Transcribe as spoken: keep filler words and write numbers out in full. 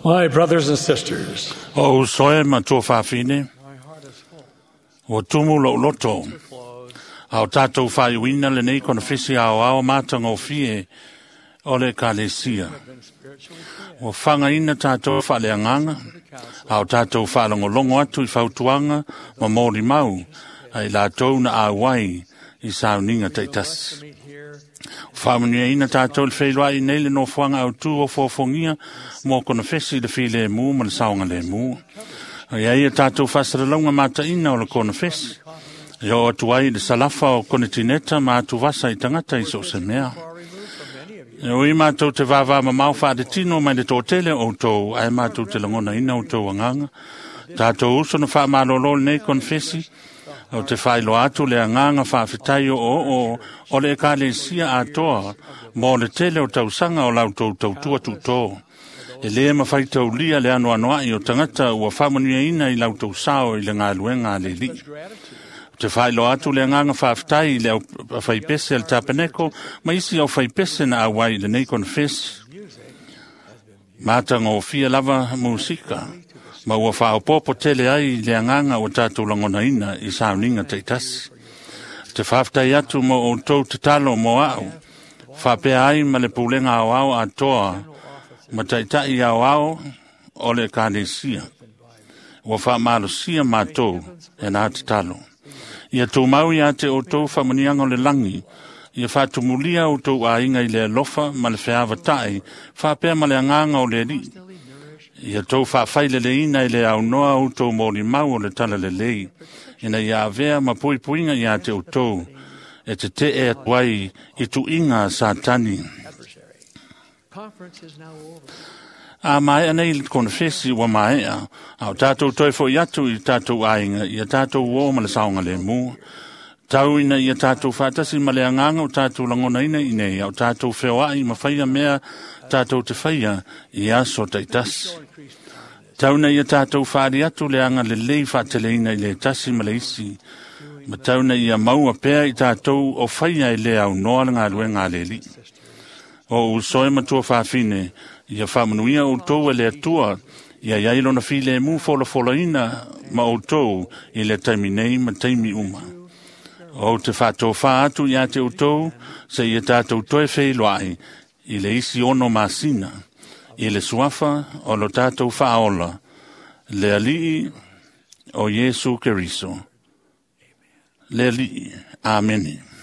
My brothers and sisters, O usoe ma tua whawhine, my heart is full. o tumu lo loto, To close, ao tātou whaiwina le nei kona whisi ao ao mātanga o fie o le kalesia. have been spiritually fed Ua whangaina tātou whaleanganga, to the counsel ao tātou whalongolongo atu i whautuanga ma mōri mau, ai lātou na āwai i sauninga We will teitasi. to meet here Whāmunia tātou le whailua i nei le nofoanga au tū o fōfongia mō kona whesi le while mū ma le saonga le mū. Ia ia tātou whasaralaunga mātaina o le kona whesi. Ia o atu ai le salafa o kone tineta ma atu vasa i tangata i so se mea. far removed from many of you. E ui mātou te vāvā mamau whaare tino mai le tōtele o tō, ai mātou te langona ina o tō anganga. Tātou uso na whaamalolo le nei konfesi, o te whailoa atu le anganga whaawhitai o o o, o le ekalesia atoa, mō le tele o tausanga o lau tau tautua tūtō. E le mawhai taulia le anu anoai o tangata ua whaamanuia ina i lau tau sao i le ngāluenga a le lii. Much gratitude Te whailo atu le anganga whaaftai i le au whaipese al tapeneko, ma isi au whaipese na awai i le nei konfesi. music has been Mātanga o fia lava musika, ma ua whaopopo tele ai i le anganga o tātou langona ina i sauninga teitasi. Te whaaftai atu mo o tau te talo mo au, whapea ai ma le pulenga au au atoa, general office ma taitai au au o le kānesia. Ua whaamalosia mātou e nā te talo. Ia tō mau ia te o tō whamanianga o le langi, ia whātumulia o tō āinga i le alofa ma le wheawa tai, whāpea ma le anganga o le ri. constantly nourished Ia tō whawhaile le ina i le au noa o tō mōri mau o le tala le lei, ina ia avea ma pui puinga ia te o tō, e te te e atuai i tu inga sātani. adversary. Conference is now over. A mai nei le konfesi ua maea, au tātou toi fo i atu i tātou ainga, ia tātou o ma le saonga le mū. Tau ina ia tātou whātasi ma le anganga o tātou langona ina i nei, au tātou wheoai ma whaia mea tātou te whaia i aso taitasi. Show increased kindness, Tau na ia tātou whaari atu le anga le lei whaatele ina i le tasi ma le isi. Ma tau na ia maua pea i tātou o whaia i le au noa le ngā lue ngā leli. sisters. O usoe matua whawhine, ia whamanuia o tō e le atua, ia iai lona file e mū fola ina ma o tō i le taimi nei ma taimi uma. O te whātō whā atu ia te o tō, se ia tātou toe wheiloai, i le isi ono masina, i le suafa o lo tātou whaola, le alii o Yesu Keriso. Le alii. Amene.